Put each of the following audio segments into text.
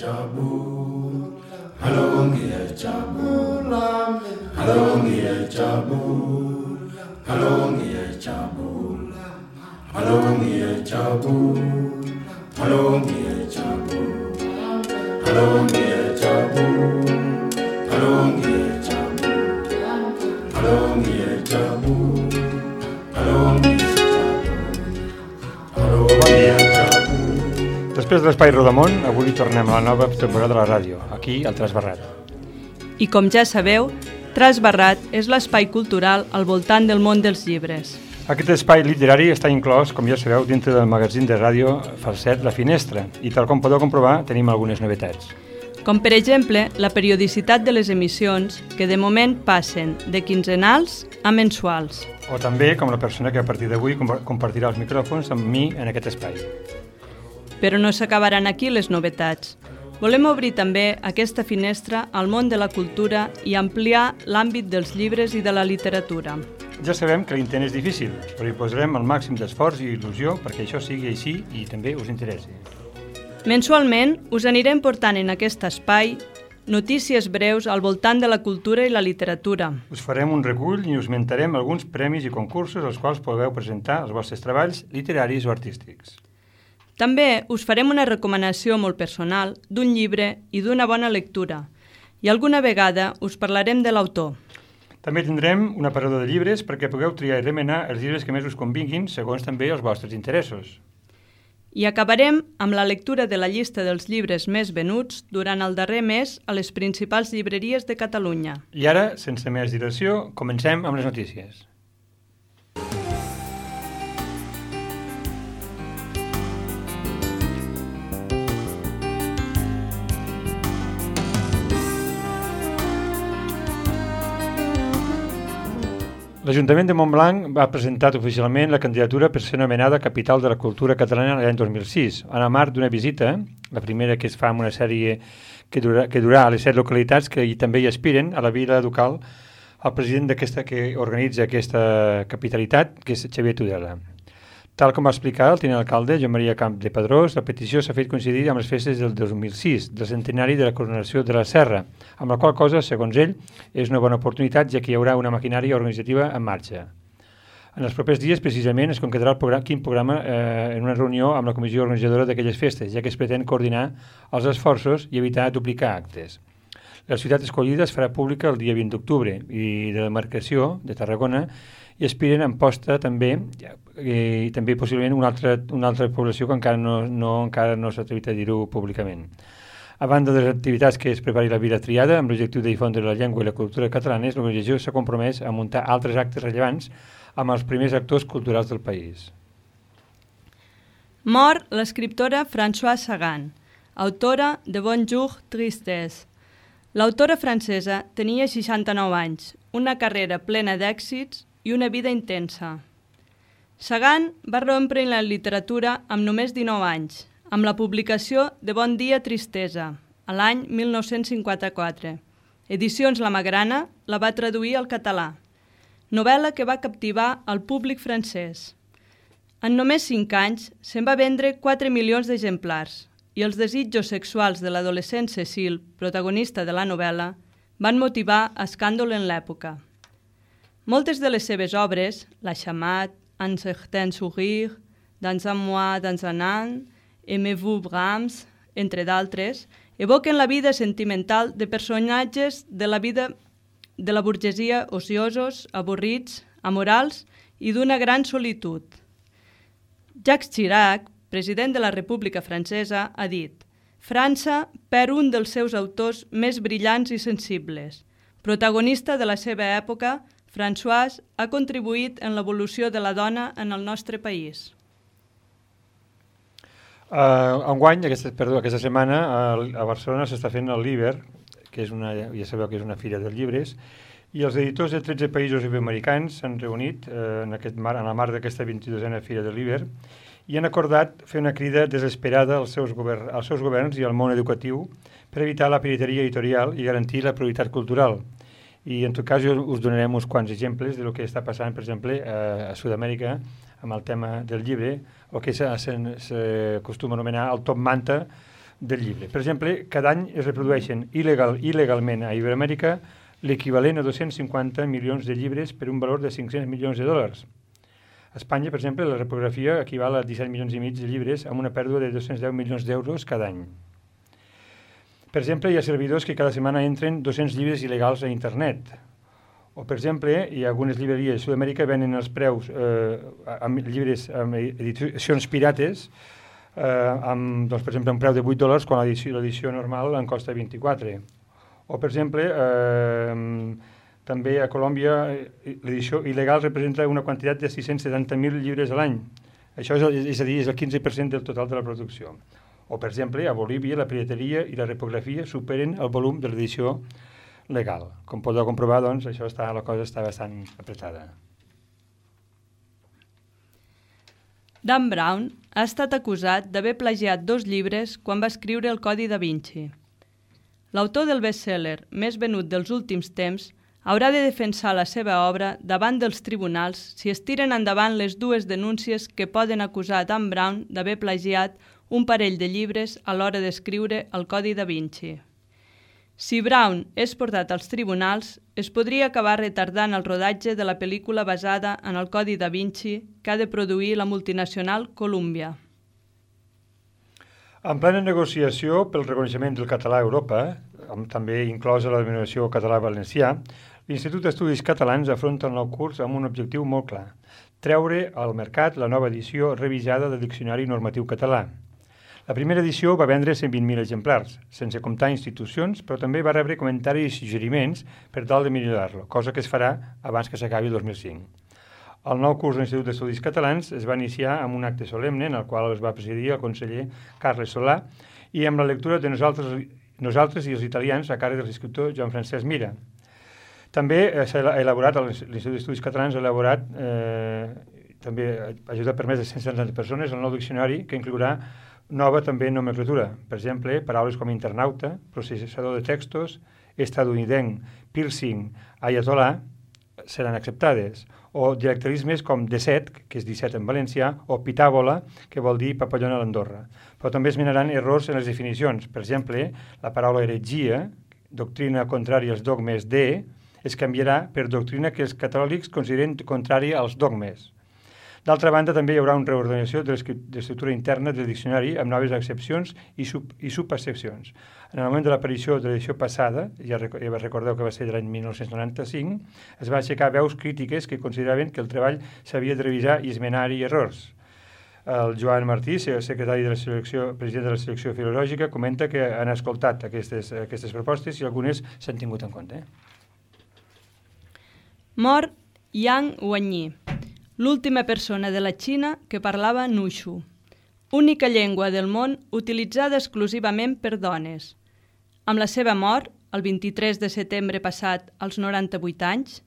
ngiyajabula, halo ngiyajabula, halo ngiyajabula, halo ngiyajabula, halo ngiyajabula, halo ngiyajabula, halo ngiyajabula, halo ngiyajabula, halo ngiyajabula, halo ngiyajabula. Després de l'Espai Rodamón, avui tornem a la nova temporada de la ràdio, aquí al Trasbarrat. I com ja sabeu, Trasbarrat és l'espai cultural al voltant del món dels llibres. Aquest espai literari està inclòs, com ja sabeu, dintre del magazín de ràdio Falset La Finestra, i tal com podeu comprovar, tenim algunes novetats. Com per exemple, la periodicitat de les emissions, que de moment passen de quinzenals a mensuals. O també com la persona que a partir d'avui compartirà els micròfons amb mi en aquest espai. Però no s'acabaran aquí les novetats. Volem obrir també aquesta finestra al món de la cultura i ampliar l'àmbit dels llibres i de la literatura. Ja sabem que l'intent és difícil, però hi posarem el màxim d'esforç i il·lusió perquè això sigui així i també us interessi. Mensualment us anirem portant en aquest espai notícies breus al voltant de la cultura i la literatura. Us farem un recull i us mentarem alguns premis i concursos als quals podeu presentar els vostres treballs literaris o artístics. També us farem una recomanació molt personal d'un llibre i d'una bona lectura, i alguna vegada us parlarem de l'autor. També tindrem un aparador de llibres perquè pugueu triar i remenar els llibres que més us convinguin segons també els vostres interessos. I acabarem amb la lectura de la llista dels llibres més venuts durant el darrer mes a les principals llibreries de Catalunya. I ara, sense més dilació, comencem amb les notícies. L'Ajuntament de Montblanc ha presentat oficialment la candidatura per ser nomenada Capital de la Cultura Catalana l'any 2006, en el marc d'una visita, la primera que es fa en una sèrie que durà a les 7 localitats que també hi aspiren, a la vila ducal, el president que organitza aquesta capitalitat, que és Xavier Tudela. Tal com va explicar el tinent alcalde, Joan Maria Camp de Pedrós, la petició s'ha fet coincidir amb les festes del 2006, del centenari de la coronació de la Serra, amb la qual cosa, segons ell, és una bona oportunitat, ja que hi haurà una maquinària organitzativa en marxa. En els propers dies, precisament, es concretarà quin programa en una reunió amb la comissió organitzadora d'aquelles festes, ja que es pretén coordinar els esforços i evitar duplicar actes. La ciutat escollida es farà pública el dia 20 d'octubre i de la demarcació de Tarragona i aspiren en posta també i també possiblement una altra població que encara no s'ha atrevit a dir-ho públicament. A banda de les activitats que es prepari la vila triada amb l'objectiu de difondre la llengua i la cultura catalanes, l'organització s'ha compromès a muntar altres actes rellevants amb els primers actors culturals del país. Mor l'escriptora Françoise Sagan, autora de Bonjour Tristesse. L'autora francesa tenia 69 anys, una carrera plena d'èxits i una vida intensa. Sagan va rompre en la literatura amb només 19 anys, amb la publicació de Bon dia tristesa, a l'any 1954. Edicions La Magrana la va traduir al català, novel·la que va captivar el públic francès. En només 5 anys se'n va vendre 4 milions d'exemplars i els desitjos sexuals de l'adolescent Cécile, protagonista de la novel·la, van motivar escàndol en l'època. Moltes de les seves obres, La Chamat, Un certain sourire, Dans un mois, dans un an, Aimez-vous Brahms, entre d'altres, evoquen la vida sentimental de personatges de la vida de la burgesia ociosos, avorrits, amorals i d'una gran solitud. Jacques Chirac, president de la República Francesa, ha dit: França perd un dels seus autors més brillants i sensibles. Protagonista de la seva època, Françoise ha contribuït en l'evolució de la dona en el nostre país. Enguany, aquesta setmana, a Barcelona s'està fent el Liber, que és ja sabeu que és una fira dels llibres, i els editors de 13 països iberoamericans s'han reunit en el marc d'aquesta 22a fira del Liber i han acordat fer una crida desesperada als seus governs i al món educatiu per evitar la pirateria editorial i garantir la pluralitat cultural. I en tot cas us donarem uns quants exemples del que està passant, per exemple, a Sud-amèrica amb el tema del llibre, o que s'acostuma a anomenar el top manta del llibre. Per exemple, cada any es reprodueixen il·legalment a Iberoamèrica l'equivalent a 250 milions de llibres per un valor de 500 milions de dòlars. A Espanya, per exemple, la repografia equival a 17 milions i mig de llibres amb una pèrdua de 210 milions d'euros cada any. Per exemple, hi ha servidors que cada setmana entren 200 llibres il·legals a internet. O, per exemple, hi ha algunes llibreries de Sud-amèrica venen els preus amb llibres amb edicions pirates amb, doncs, per exemple, un preu de $8 quan l'edició normal en costa 24. O, per exemple, també a Colòmbia l'edició il·legal representa una quantitat de 670.000 llibres a l'any. Això és a dir, és el 15% del total de la producció. O, per exemple, a Bolívia la pirateria i la repografia superen el volum de l'edició legal. Com podeu comprovar, doncs, la cosa està bastant apretada. Dan Brown ha estat acusat d'haver plagiat 2 llibres quan va escriure el Codi da Vinci. L'autor del best-seller més venut dels últims temps haurà de defensar la seva obra davant dels tribunals si es tiren endavant les 2 denúncies que poden acusar Dan Brown d'haver plagiat un parell de llibres a l'hora d'escriure el Codi da Vinci. Si Brown és portat als tribunals, es podria acabar retardant el rodatge de la pel·lícula basada en el Codi da Vinci que ha de produir la multinacional Columbia. En plena negociació pel reconeixement del català a Europa, també inclosa la denominació català-valencià, l'Institut d'Estudis Catalans afronta el nou curs amb un objectiu molt clar: treure al mercat la nova edició revisada del Diccionari Normatiu Català. La primera edició va vendre 120.000 exemplars, sense comptar institucions, però també va rebre comentaris i suggeriments per tal de millorar-lo, cosa que es farà abans que s'acabi el 2005. El nou curs de l'Institut d'Estudis Catalans es va iniciar amb un acte solemne en el qual es va presidir el conseller Carles Solà i amb la lectura de Nosaltres i els italians a càrrec de l'escriptor Joan Francesc Mira. També l'Institut d'Estudis Catalans ha elaborat, també ha ajudat per més de 170 persones, el nou diccionari que inclourà nova també nomenclatura. Per exemple, paraules com internauta, processador de textos, estadounidenc, piercing, ayatollah seran acceptades. O dialectalismes com deset, que és 17 en valencià, o pitàbola, que vol dir papallona a l'Andorra. Però també es minaran errors en les definicions. Per exemple, la paraula heretgia, doctrina contrària als dogmes de, es canviarà per doctrina que els catòlics consideren contrària als dogmes. D'altra banda, també hi haurà una reordenació de l'estructura interna del diccionari amb noves accepcions i subaccepcions. En el moment de l'aparició de l'edició passada, ja recordeu que va ser de l'any 1995, es va aixecar veus crítiques que consideraven que el treball s'havia de revisar i esmenar-hi errors. El Joan Martí, secretari de la selecció, president de la selecció filològica, comenta que han escoltat aquestes propostes i algunes s'han tingut en compte. Mor Yang Wanyi, l'última persona de la Xina que parlava Nushu, única llengua del món utilitzada exclusivament per dones. Amb la seva mort, el 23 de setembre passat, als 98 anys,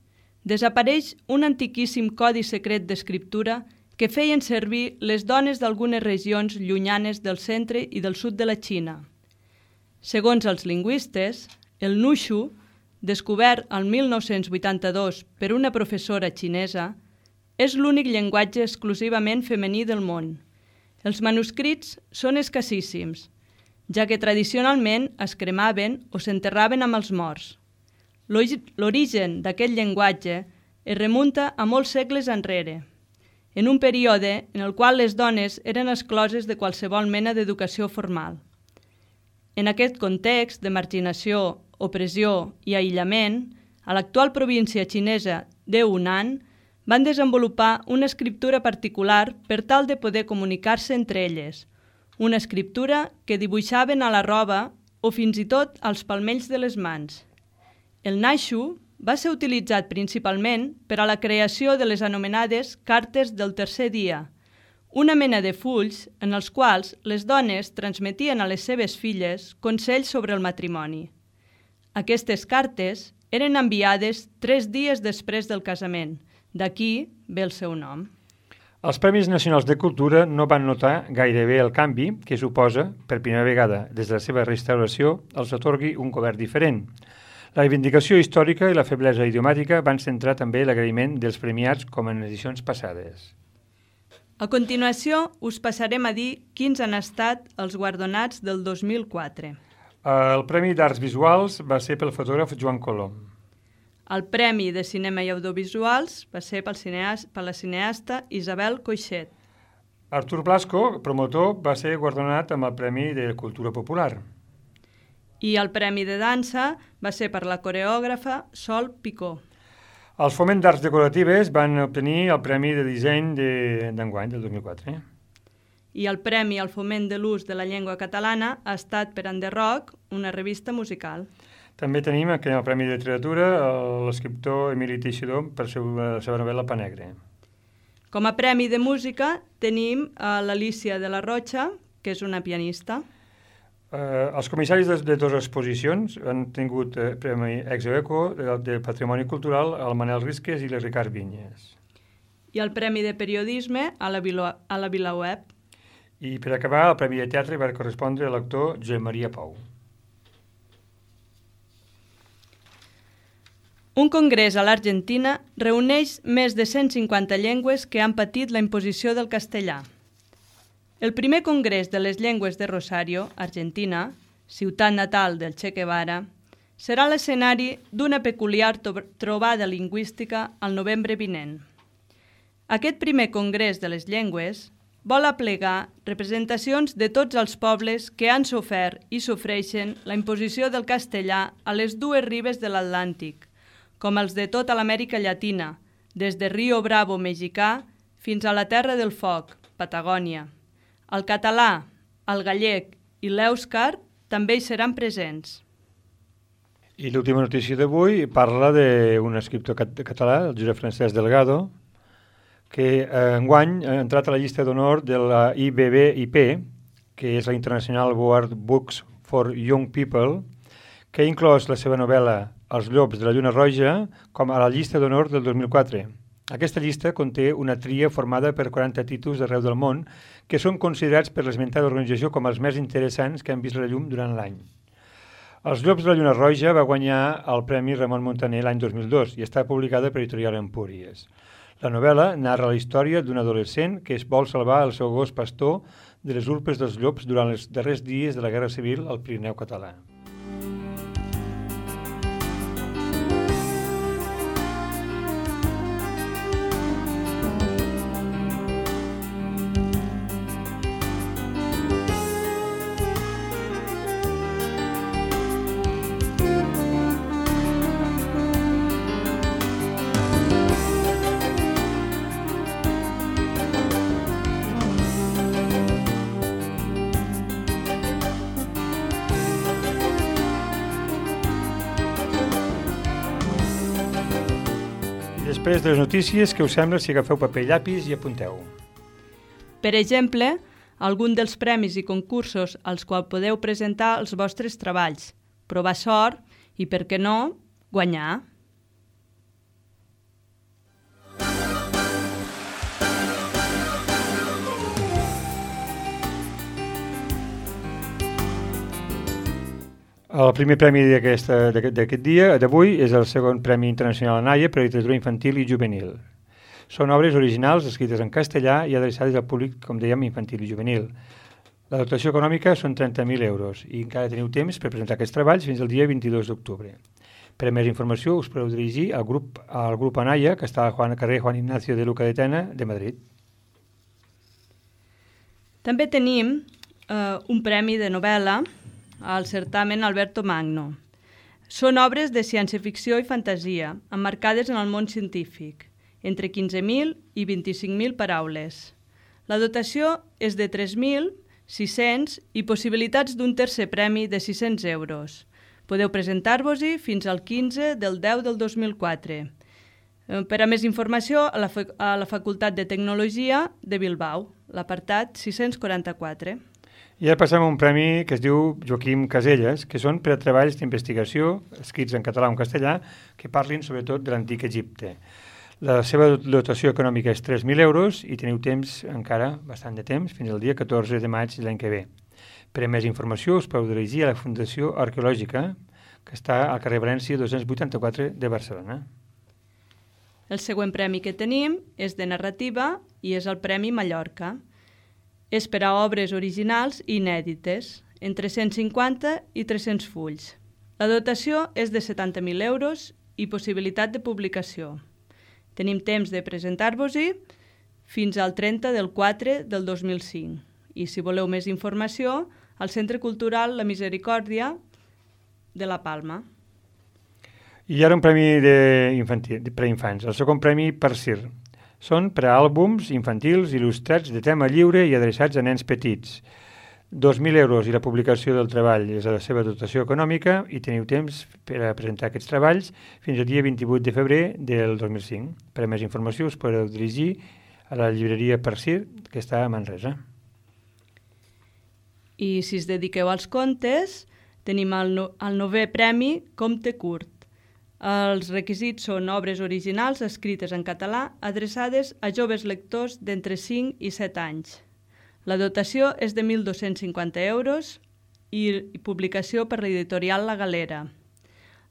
desapareix un antiquíssim codi secret d'escriptura que feien servir les dones d'algunes regions llunyanes del centre i del sud de la Xina. Segons els lingüistes, el Nushu, descobert el 1982 per una professora xinesa, és l'únic llenguatge exclusivament femení del món. Els manuscrits són escassíssims, ja que tradicionalment es cremaven o s'enterraven amb els morts. L'origen d'aquest llenguatge es remunta a molts segles enrere, en un període en el qual les dones eren excloses de qualsevol mena d'educació formal. En aquest context de marginació, opressió i aïllament, a l'actual província xinesa de Hunan van desenvolupar una escriptura particular per tal de poder comunicar-se entre elles, una escriptura que dibuixaven a la roba o fins i tot als palmells de les mans. El Nushu va ser utilitzat principalment per a la creació de les anomenades cartes del tercer dia, una mena de fulls en els quals les dones transmetien a les seves filles consells sobre el matrimoni. Aquestes cartes eren enviades 3 dies després del casament, d'aquí ve el seu nom. Els Premis Nacionals de Cultura no van notar gairebé el canvi que suposa, per primera vegada des de la seva restauració, els atorgui un govern diferent. La reivindicació històrica i la feblesa idiomàtica van centrar també l'agraïment dels premiats com en edicions passades. A continuació, us passarem a dir quins han estat els guardonats del 2004. El Premi d'Arts Visuals va ser pel fotògraf Joan Colom. El Premi de Cinema i Audiovisuals va ser per la cineasta Isabel Coixet. Artur Blasco, promotor, va ser guardonat amb el Premi de Cultura Popular. I el Premi de Dansa va ser per la coreògrafa Sol Picó. Els Foment d'Arts Decoratives van obtenir el Premi de Disseny d'enguany, del 2004. I el Premi al Foment de l'Ús de la Llengua Catalana ha estat per Enderroc, una revista musical. També tenim aquí el Premi de Literatura l'escriptor Emili Teixidor per la seva novel·la Pa Negre. Com a premi de música tenim l'Alícia de la Rocha, que és una pianista. Els comissaris de dues exposicions han tingut Premi Exoeco de Patrimoni Cultural el Manel Risques i el Ricard Vinyes. I el Premi de Periodisme a la VilaWeb. I per acabar, el Premi de Teatre va correspondre a l'actor Josep Maria Pou. Un congrés a l'Argentina reuneix més de 150 llengües que han patit la imposició del castellà. El primer congrés de les llengües de Rosario, Argentina, ciutat natal del Che Guevara, serà l'escenari d'una peculiar trobada lingüística al novembre vinent. Aquest primer congrés de les llengües vol aplegar representacions de tots els pobles que han sofert i sofreixen la imposició del castellà a les dues ribes de l'Atlàntic, com els de tota l'Amèrica Llatina, des de Rio Bravo mexicà fins a la Terra del Foc, Patagònia. El català, el gallec i l'èuscar també hi seran presents. I l'última notícia d'avui parla d'un escriptor català, el Josep Francesc Delgado, que enguany ha entrat a la llista d'honor de la IBBIP, que és la International Award Books for Young People, que ha inclòs la seva novel·la Els llops de la lluna roja com a la llista d'honor del 2004. Aquesta llista conté una tria formada per 40 títols d'arreu del món que són considerats per l'esmentada organització com els més interessants que han vist la llum durant l'any. Els llops de la lluna roja va guanyar el Premi Ramon Montaner l'any 2002 i està publicada per Editorial Empúries. La novel·la narra la història d'un adolescent que es vol salvar el seu gos pastor de les urpes dels llops durant els darrers dies de la Guerra Civil al Pirineu català. Després de les notícies, què us sembla si agafeu paper i llapis i apunteu? Per exemple, algun dels premis i concursos als quals podeu presentar els vostres treballs, provar sort i, per què no, guanyar. El primer premi d'aquest dia, d'avui, és el segon Premi Internacional ANAIA per a literatura infantil i juvenil. Són obres originals escrites en castellà i adreçades al públic, com dèiem, infantil i juvenil. La dotació econòmica són 30.000 euros i encara teniu temps per presentar aquests treballs fins al dia 22 d'octubre. Per a més informació us podeu dirigir al grup ANAIA, que està al carrer Juan Ignacio de Luca de Tena de Madrid. També tenim un premi de novel·la al certamen Alberto Magno. Són obres de ciència-ficció i fantasia, emmarcades en el món científic, entre 15.000 i 25.000 paraules. La dotació és de 3.600 i possibilitats d'un tercer premi de 600 euros. Podeu presentar-vos-hi fins al 15 del 10 del 2004. Per a més informació, a la Facultat de Tecnologia de Bilbao, l'apartat 644. I ara passem a un premi que es diu Joaquim Caselles, que són per a treballs d'investigació, escrits en català o en castellà, que parlin sobretot de l'antic Egipte. La seva dotació econòmica és 3.000 euros i teniu temps, encara bastant de temps, fins al dia 14 de maig de l'any que ve. Per a més informació us podeu dirigir a la Fundació Arqueològica, que està al carrer València 284 de Barcelona. El següent premi que tenim és de narrativa i és el Premi Mallorca. És per a obres originals i inèdites, entre 150 i 300 fulls. La dotació és de 70.000 euros i possibilitat de publicació. Tenim temps de presentar-vos-hi fins al 30 del 4 del 2005. I si voleu més informació, al Centre Cultural La Misericòrdia de la Palma. I ara un premi per a infants, el segon premi PERCIR. Són per a àlbums infantils il·lustrats de tema lliure i adreçats a nens petits. 2.000 euros i la publicació del treball és la seva dotació econòmica i teniu temps per a presentar aquests treballs fins al dia 28 de febrer del 2005. Per a més informació us podeu dirigir a la llibreria PERCIR, que està a Manresa. I si es dediqueu als contes, tenim el 9è premi Comte Curt. Els requisits són obres originals escrites en català adreçades a joves lectors d'entre 5 i 7 anys. La dotació és de 1.250 euros i publicació per l'editorial La Galera.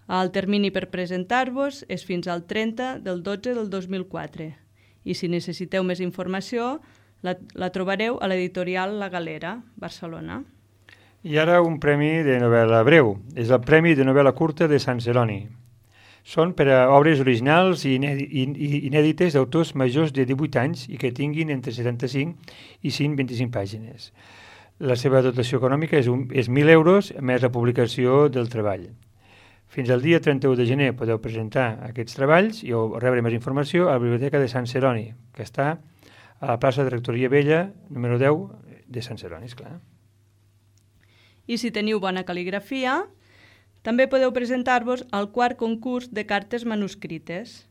El termini per presentar-vos és fins al 30 del 12 del 2004. I si necessiteu més informació, la trobareu a l'editorial La Galera, Barcelona. I ara un premi de novel·la breu. És el Premi de Novel·la Curta de Sant Celoni. Són per a obres originals i inèdites d'autors majors de 18 anys i que tinguin entre 75 i 125 pàgines. La seva dotació econòmica és 1.000 euros més la publicació del treball. Fins al dia 31 de gener podeu presentar aquests treballs i rebre més informació a la Biblioteca de Sant Celoni, que està a la plaça de Rectoria Vella, número 10 de Sant Celoni, esclar. I si teniu bona cal·ligrafia, també podeu presentar-vos al quart concurs de cartes manuscrites.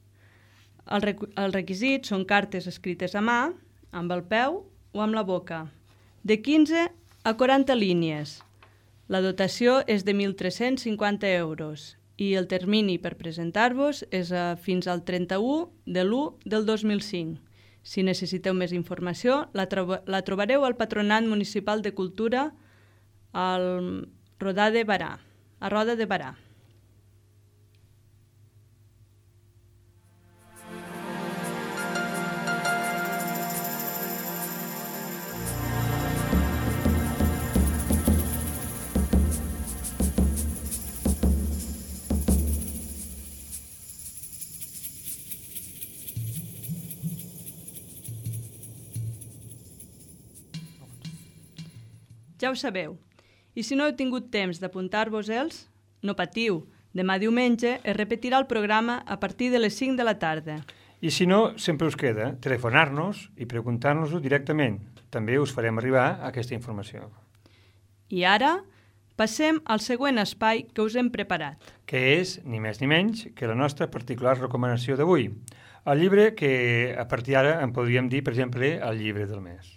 Els requisits són cartes escrites a mà, amb el peu o amb la boca, de 15 a 40 línies. La dotació és de 1.350 euros i el termini per presentar-vos és fins al 31 de l'1 del 2005. Si necessiteu més informació, la trobareu al Patronat Municipal de Cultura al Roda de Barà. A Roda de Barà. Ja ho sabeu. I si no heu tingut temps d'apuntar-vos-els, no patiu. Demà diumenge es repetirà el programa a partir de les 5 de la tarda. I si no, sempre us queda telefonar-nos i preguntar-nos-ho directament. També us farem arribar aquesta informació. I ara passem al següent espai que us hem preparat. Que és, ni més ni menys, que la nostra particular recomanació d'avui. El llibre que a partir d'ara en podríem dir, per exemple, el llibre del mes.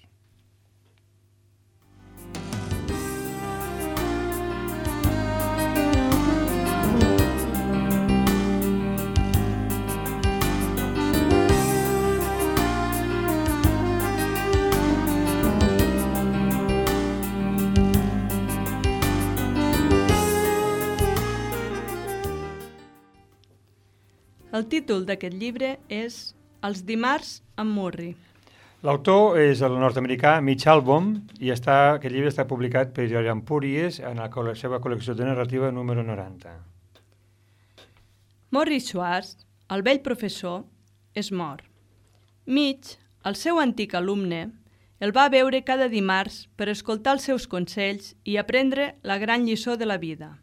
El títol d'aquest llibre és Els dimarts amb Murri. L'autor és el nord-americà Mitch Albom i aquest llibre està publicat per Editorial Empúries en la seva col·lecció de narrativa número 90. Morris Schwartz, el vell professor, és mort. Mitch, el seu antic alumne, el va veure cada dimarts per escoltar els seus consells i aprendre la gran lliçó de la vida.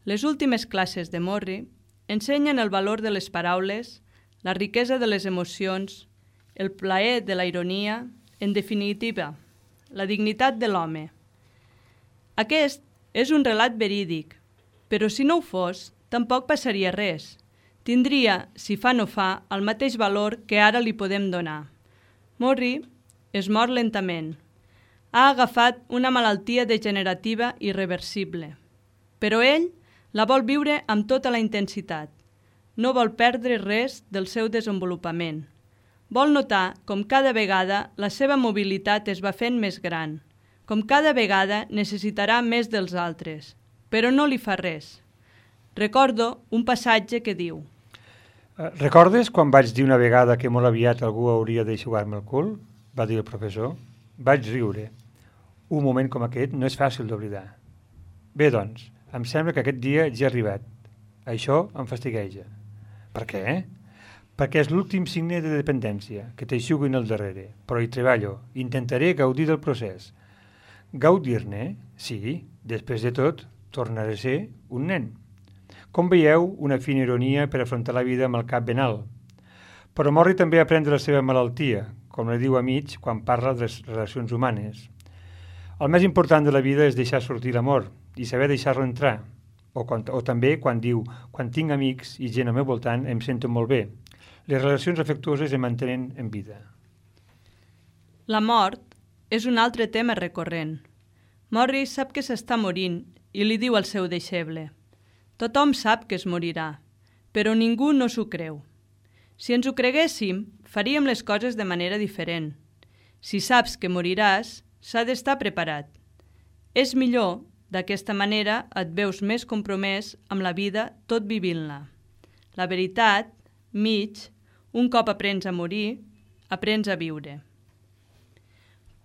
Les últimes classes de Morri ensenyen el valor de les paraules, la riquesa de les emocions, el plaer de la ironia, en definitiva, la dignitat de l'home. Aquest és un relat verídic, però si no ho fos, tampoc passaria res. Tindria, si fa no fa, el mateix valor que ara li podem donar. Morri es mor lentament. Ha agafat una malaltia degenerativa irreversible. Però ell la vol viure amb tota la intensitat. No vol perdre res del seu desenvolupament. Vol notar com cada vegada la seva mobilitat es va fent més gran, com cada vegada necessitarà més dels altres, però no li fa res. Recordo un passatge que diu: Recordes quan vaig dir una vegada que molt aviat algú hauria d'eixugar-me el cul? Va dir el professor. Vaig riure. Un moment com aquest no és fàcil d'oblidar. Bé, doncs, em sembla que aquest dia ja ha arribat. Això em fastigueja. Per què? Perquè és l'últim signe de dependència, que t'eixuguin al darrere. Però hi treballo. Intentaré gaudir del procés. Gaudir-ne? Sí, després de tot, tornaré a ser un nen. Com veieu, una fina ironia per afrontar la vida amb el cap ben alt. Però Morri també aprèn de la seva malaltia, com li diu a mig quan parla de les relacions humanes. El més important de la vida és deixar sortir l'amor i saber deixar-lo entrar. O també quan diu, quan tinc amics i gent al meu voltant em sento molt bé. Les relacions afectuoses em mantenen en vida. La mort és un altre tema recurrent. Morri sap que s'està morint i li diu al seu deixeble: tothom sap que es morirà, però ningú no s'ho creu. Si ens ho creguéssim, faríem les coses de manera diferent. Si saps que moriràs, s'ha d'estar preparat. És millor, d'aquesta manera et veus més compromès amb la vida tot vivint-la. La veritat, mig, un cop aprens a morir, aprens a viure.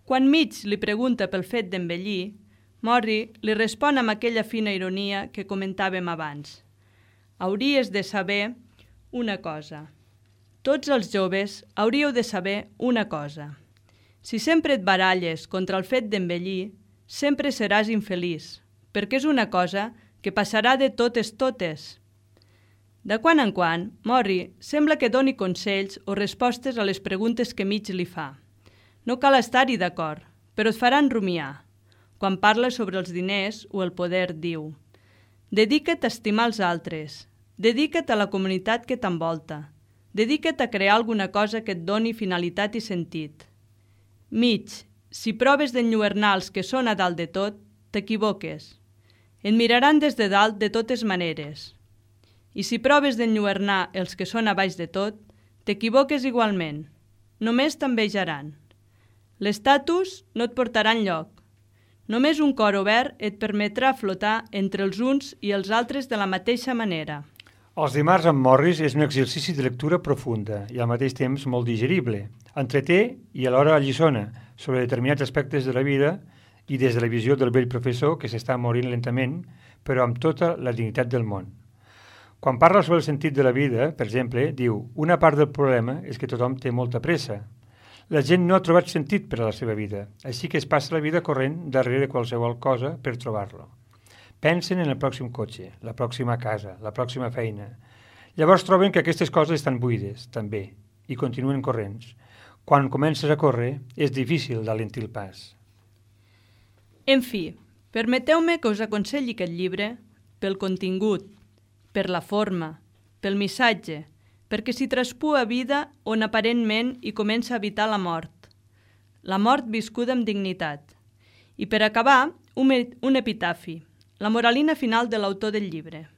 Quan Mig li pregunta pel fet d'envellir, Morri li respon amb aquella fina ironia que comentàvem abans. Hauries de saber una cosa. Tots els joves hauríeu de saber una cosa. Si sempre et baralles contra el fet d'envellir, sempre seràs infeliç, perquè és una cosa que passarà de totes. De quan en quan, Morri sembla que doni consells o respostes a les preguntes que Mig li fa. No cal estar-hi d'acord, però et faran rumiar. Quan parla sobre els diners o el poder, diu: dedica't a estimar els altres, dedica't a la comunitat que t'envolta, dedica't a crear alguna cosa que et doni finalitat i sentit. Mig, si proves d'enlluernar els que són a dalt de tot, t'equivoques. Et miraran des de dalt de totes maneres. I si proves d'enlluernar els que són a baix de tot, t'equivoques igualment. Només t'envejaran. L'estatus no et portarà enlloc. Només un cor obert et permetrà flotar entre els uns i els altres de la mateixa manera. Els dimarts amb Morris és un exercici de lectura profunda i al mateix temps molt digerible. Entreté i alhora alliçona sobre determinats aspectes de la vida i des de la visió del vell professor que s'està morint lentament, però amb tota la dignitat del món. Quan parla sobre el sentit de la vida, per exemple, diu: una part del problema és que tothom té molta pressa. La gent no ha trobat sentit per a la seva vida, així que es passa la vida corrent darrere qualsevol cosa per trobar-lo. Pensen en el pròxim cotxe, la pròxima casa, la pròxima feina. Llavors troben que aquestes coses estan buides, també, i continuen corrents. Quan comences a córrer, és difícil d'alentir el pas. En fi, permeteu-me que us aconselli aquest llibre pel contingut, per la forma, pel missatge, perquè s'hi traspua vida on aparentment hi comença a habitar la mort viscuda amb dignitat. I per acabar, un epitafi, la moralina final de l'autor del llibre.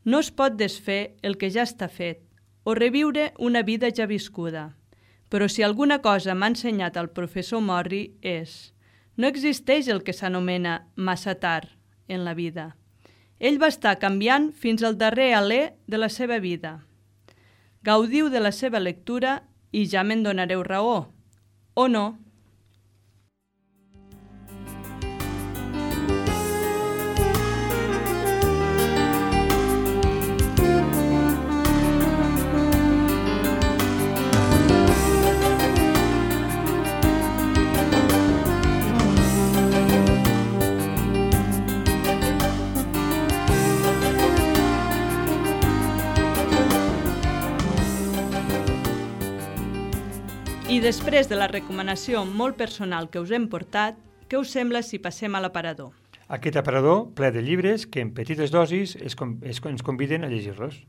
No es pot desfer el que ja està fet o reviure una vida ja viscuda, però si alguna cosa m'ha ensenyat el professor Morri és: no existeix el que s'anomena massa tard en la vida. Ell va estar canviant fins al darrer alè de la seva vida. Gaudiu de la seva lectura i ja me'n donareu raó, o no? I després de la recomanació molt personal que us hem portat, què us sembla si passem a l'aparador? Aquest aparador ple de llibres que en petites dosis ens conviden a llegir-los.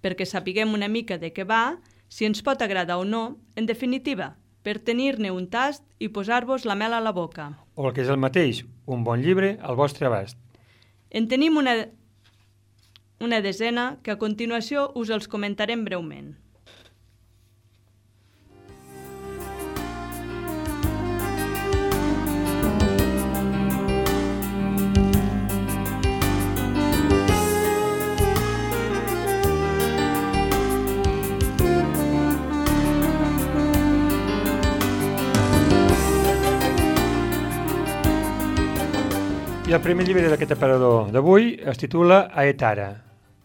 Perquè sapiguem una mica de què va, si ens pot agradar o no, en definitiva, per tenir-ne un tast i posar-vos la mel a la boca. O el que és el mateix, un bon llibre al vostre abast. En tenim una desena que a continuació us els comentarem breument. I el primer llibre d'aquest aparador d'avui es titula Aetara.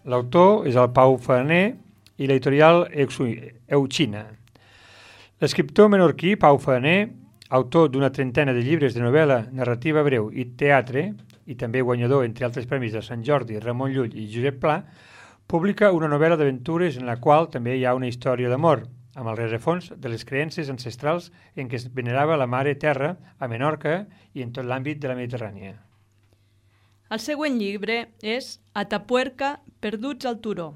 L'autor és el Pau Faner i l'editorial Euchina. L'escriptor menorquí Pau Faner, autor d'una trentena de llibres de novel·la, narrativa breu i teatre, i també guanyador, entre altres premis de Sant Jordi, Ramon Llull i Josep Pla, publica una novel·la d'aventures en la qual també hi ha una història d'amor, amb el rerefons de les creences ancestrals en què es venerava la Mare Terra a Menorca i en tot l'àmbit de la Mediterrània. El següent llibre és Atapuerca, perduts al turó,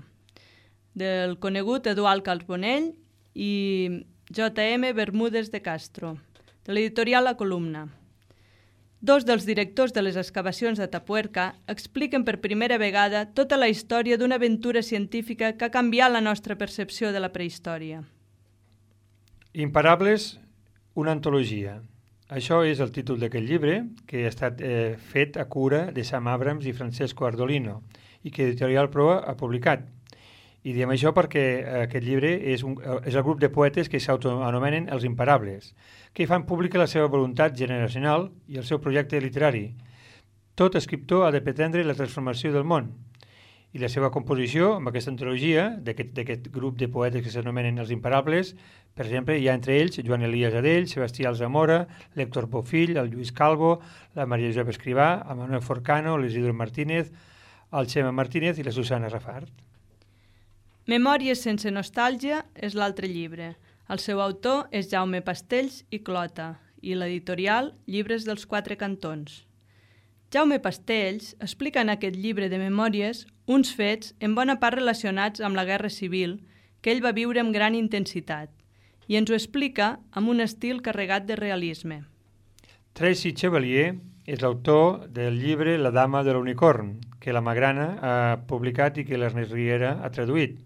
del conegut Eduard Carbonell i J.M. Bermúdez de Castro, de l'editorial La Columna. Dos dels directors de les excavacions d'Atapuerca expliquen per primera vegada tota la història d'una aventura científica que ha canviat la nostra percepció de la prehistòria. Imparables, una antologia. Això és el títol d'aquest llibre, que ha estat fet a cura de Sam Abrams i Francesco Ardolino i que Editorial Proa ha publicat. I diem això perquè aquest llibre és el grup de poetes que s'autoanomenen els Imparables, que fan pública la seva voluntat generacional i el seu projecte literari. Tot escriptor ha de pretendre la transformació del món. I la seva composició, amb aquesta antologia, d'aquest grup de poetes que s'anomenen els Imparables, per exemple, hi ha entre ells Joan Elias Adell, Sebastià Alzamora, l'Héctor Bofill, el Lluís Calvo, la Maria Josep Escrivà, el Manuel Forcano, l'Isidro Martínez, el Xema Martínez i la Susana Rafart. Memòries sense nostàlgia és l'altre llibre. El seu autor és Jaume Pastells i Clota i l'editorial Llibres dels Quatre Cantons. Jaume Pastells explica en aquest llibre de memòries uns fets en bona part relacionats amb la Guerra Civil que ell va viure amb gran intensitat i ens ho explica amb un estil carregat de realisme. Tracy Chevalier és l'autor del llibre La dama de l'unicorn, que la Magrana ha publicat i que l'Ernest Riera ha traduït.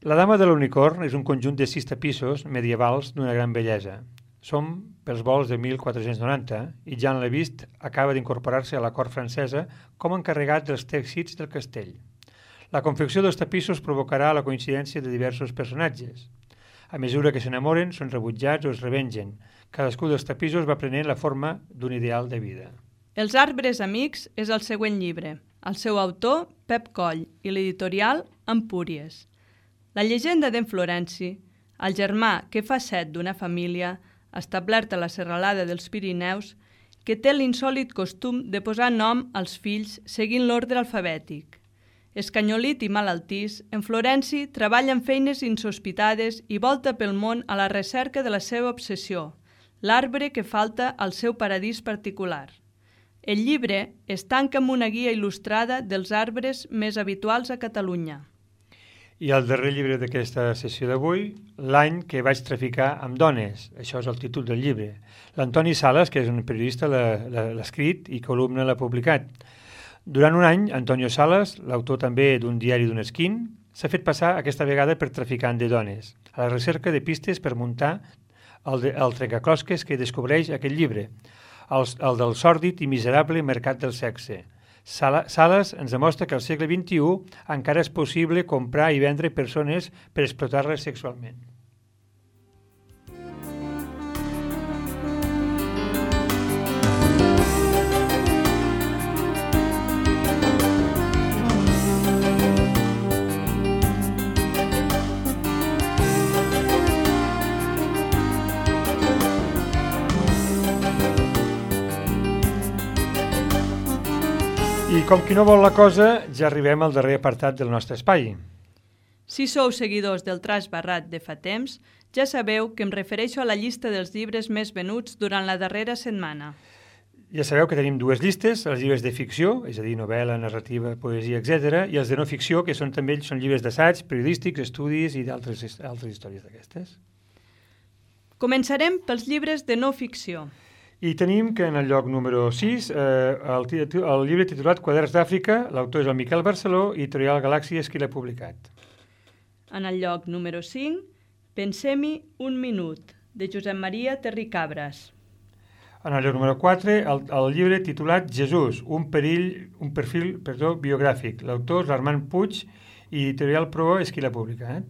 La dama de l'unicorn és un conjunt de 6 tapissos medievals d'una gran bellesa. Som pels vols de 1490 i Jean Levist acaba d'incorporar-se a la cort francesa com a encarregat dels tèxits del castell. La confecció dels tapissos provocarà la coincidència de diversos personatges. A mesura que s'enamoren, són rebutjats o es revengen. Cadascú dels tapissos va prenent la forma d'un ideal de vida. Els arbres amics és el següent llibre. El seu autor, Pep Coll, i l'editorial Empúries. La llegenda d'en Florenci, el germà que fa set d'una família, establert a la serralada dels Pirineus, que té l'insòlit costum de posar nom als fills seguint l'ordre alfabètic. Escanyolit i malaltís, en Florenci treballa en feines insospitades i volta pel món a la recerca de la seva obsessió, l'arbre que falta al seu paradís particular. El llibre es tanca amb una guia il·lustrada dels arbres més habituals a Catalunya. I el darrer llibre d'aquesta sessió d'avui, L'any que vaig traficar amb dones. Això és el títol del llibre. L'Antoni Sales, que és un periodista, l'ha escrit i Columna l'ha publicat. Durant un any, Antonio Sales, l'autor també d'un diari d'un esquin, s'ha fet passar aquesta vegada per traficant de dones, a la recerca de pistes per muntar el trencaclosques que descobreix aquest llibre, el del sòrdid i miserable mercat del sexe. Sales ens demostra que al segle XXI encara és possible comprar i vendre persones per explotar-les sexualment. I com qui no vol la cosa, ja arribem al darrer apartat del nostre espai. Si sou seguidors del Traç Barrat de fa temps, ja sabeu que em refereixo a la llista dels llibres més venuts durant la darrera setmana. Ja sabeu que tenim dues llistes, els llibres de ficció, és a dir, novel·la, narrativa, poesia, etc., i els de no ficció, que són també són llibres d'assaig, periodístics, estudis i d'altres històries d'aquestes. Començarem pels llibres de no ficció. I tenim que en el lloc número 6, el llibre titulat Quaderns d'Àfrica, l'autor és el Miquel Barceló i Editorial Galàxia és qui l'ha publicat. En el lloc número 5, Pensem-hi un minut, de Josep Maria Terricabras. En el lloc número 4, el llibre titulat Jesús, un perfil biogràfic. L'autor és l'Armand Puig i Editorial Proa és qui l'ha publicat.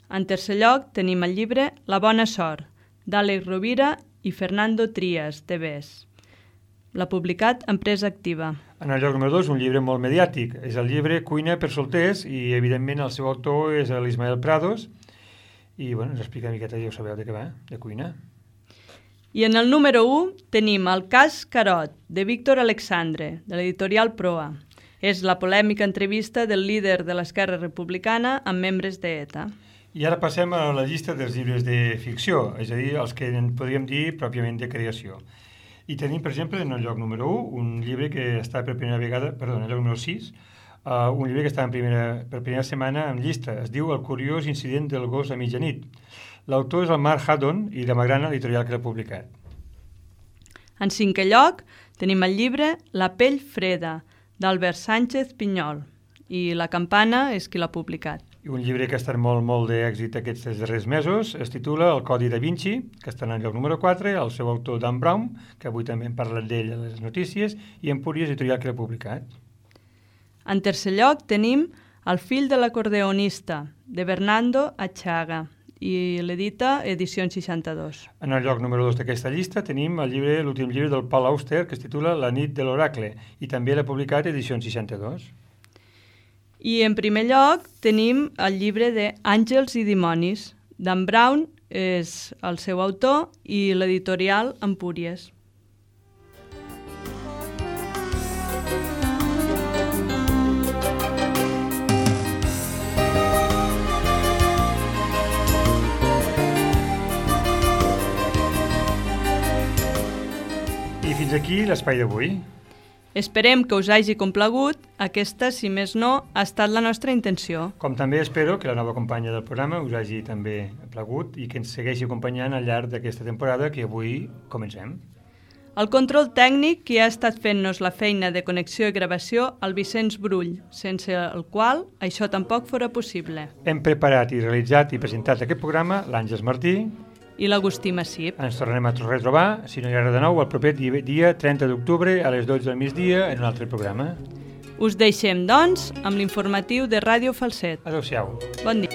En tercer lloc tenim el llibre La bona sort, d'Àlex Rovira i Fernando Trias, de Bes. L'ha publicat Empresa Activa. En el lloc número 2, un llibre molt mediàtic. És el llibre Cuina per solters i, evidentment, el seu autor és l'Ismael Prados. I, bueno, ens explica una miqueta, ja ho sabeu de què va, de cuina. I en el número 1 tenim El cas Carot, de Víctor Alexandre, de l'editorial Proa. És la polèmica entrevista del líder de l'Esquerra Republicana amb membres d'ETA. I ara passem a la llista dels llibres de ficció, és a dir, els que en podríem dir pròpiament de creació. I tenim, per exemple, en el lloc número 1, un llibre que està per primera vegada, perdó, en el lloc número 6, un llibre que està per primera setmana en llista. Es diu El curiós incident del gos a mitjanit. L'autor és el Mark Haddon i la Magrana editorial que l'ha publicat. En cinquè lloc tenim el llibre La pell freda, d'Albert Sánchez Pinyol, i La campana és qui l'ha publicat. I un llibre que ha estat molt d'èxit aquests darrers mesos es titula El codi da Vinci, que està en el lloc número 4, el seu autor Dan Brown, que avui també hem parlat d'ell a les notícies, i Empúries editorial que l'ha publicat. En tercer lloc tenim El fill de l'acordeonista, de Bernardo Achaga, i l'edita Edicions 62. En el lloc número 2 d'aquesta llista tenim l'últim llibre del Paul Auster, que es titula La nit de l'oracle, i també l'ha publicat Edicions 62. I en primer lloc tenim el llibre de Àngels i dimonis. Dan Brown és el seu autor i l'editorial Empúries. I fins aquí l'espai d'avui. Esperem que us hagi complagut. Aquesta, si més no, ha estat la nostra intenció. Com també espero que la nova companya del programa us hagi també plagut i que ens segueixi acompanyant al llarg d'aquesta temporada que avui comencem. El control tècnic qui ha estat fent-nos la feina de connexió i gravació el Vicenç Brull, sense el qual això tampoc fora possible. Hem preparat i realitzat i presentat aquest programa l'Àngels Martí i l'Agustí Massip. Ens tornarem a retrobar, si no hi ha res de nou, el proper dia 30 d'octubre a les 12 del migdia en un altre programa. Us deixem, doncs, amb l'informatiu de Ràdio Falset. Adéu-siau. Bon dia.